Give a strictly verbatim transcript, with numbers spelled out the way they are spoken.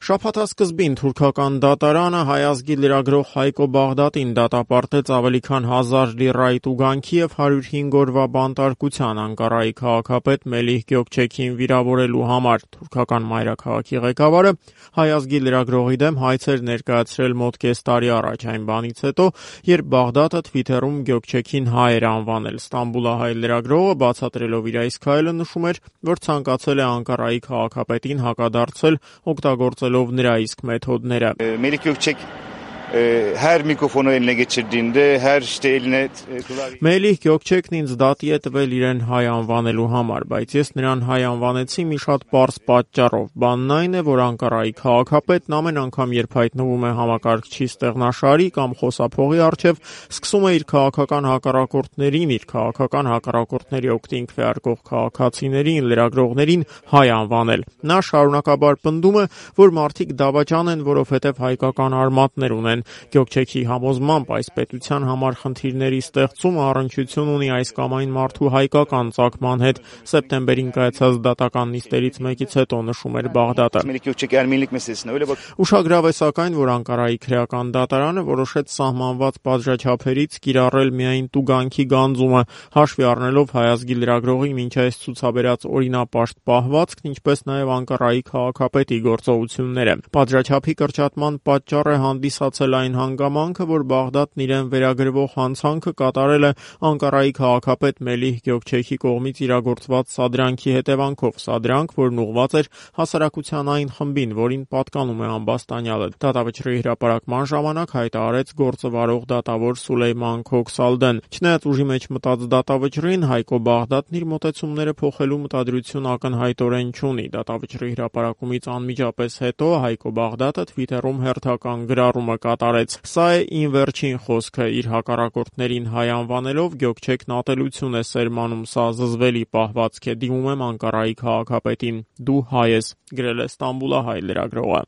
Շաբաթասկզբին թուրքական դատարանը հայ ազգի լրագրող Հայկո Բաղդատին դատապարտեց ավելի քան հազար լիրայի տուգանքի և հարյուր հինգ օրվա բանտարկության Անկարայի քաղաքապետ Մելիհ Գյոքչեքիին վիրավորելու համար։ Թուրքական մայրաքաղաքի ղեկավարը հայ ազգի լրագրողի դեմ հայց էր ներկայացրել մոտ կես տարի առաջ, այն բանից հետո, երբ Բաղդատը Թվիթերում Գյոքչեքին հայ էր անվանել։ Ստամբուլահայ լրագրողը բացատրելով իր այս քայլը նշում էր, որ ցանկացել է Անկարայի քաղաքապետին հակադարձել, օգտագործելով նրա իսկ մեթոդները։ Melik Gökçek her mikrofonu eline geçirdiğinde her işte eline Մելիհ Գյոքչեքն ինձ դատի է տվել իրեն հայ անվանելու համար, բայց ես նրան հայ անվանեցի մի շատ պարզ պատճառով։ Բանն այն է, որ Անկարայի քաղաքապետն ամեն անգամ, երբ հայտնվում է համակարգչի ստեղնաշարի կամ խոսափողի առջև, սկսում է իր քաղաքական հակառակորդներին, իր քաղաքական հակառակորդների օգտին քվեարկող քաղաքացիներին, լրագրողներին հայ անվանել։ Նա շարունակաբար պնդում է, որ մարդիկ դավաճան են, որովհետև հայկական արմատներ ունեն։ Գյոքչեքի համոզմամբ այս պետության համար խնդիրների ստեղծումը առնչություն ունի այս կամ այն մարդու հայկական ծագման հետ։ Սեպտեմբերին կայացած դատական նիստերից մեկից հետո նշում էր Բաղդատը։ Ուշագրավ է սակայն, որ Անկարայի քրեական դատարանը որոշեց սահմանված պատժաչափերից կիրառել միայն տուգանքի գանձումը, հաշվի առնելով հայ ազգի լրագրողի մինչ այս ցուցաբերած օրինապաշտ պահվածքն, ինչպես նաև Անկարայի քաղաքապետի գործողությունները։ Պատժաչափի կրճատման պատճառ է հանդիսացել այն հանգամանքը, որ Բաղդատն իրեն վերագրվող հանցանքը կատարել է Անկարայի քաղաքապետ Մելիհ Գյոքչեքի կողմից իրագործված սադրանքի հետևանքով, սադրանք, որն ուղղված էր հասարակության այն խմբին, որին պատկանում է ամբաստանյալը։ Դատավճռի հրապարակման ժամանակ հայտարարեց գործը վարող դատավոր Սուլեյման Քոքսալդեն։ Չնայած ուժի մեջ մտած դատավճռին, Հայկո Բաղդատն իր մոտեցումները փոխելու մտադրություն ակնհայտորեն չունի։ Դատավճռի հրապարակումից անմիջապես հետո Հայկո Բաղդատը Թվիթերում հերթական գրառումը կատարեց։ Սա է իմ վերջին խոսքը։ Իր հակառակորդներին հայ անվանելով Գյոքչեքն ատելություն է սերմանում, սա զզվելի պահվածք է, դիմում եմ Անկարայի քաղաքապետին։ Դու հայ ես, գրել է Ստամբուլահայ լրագրողը։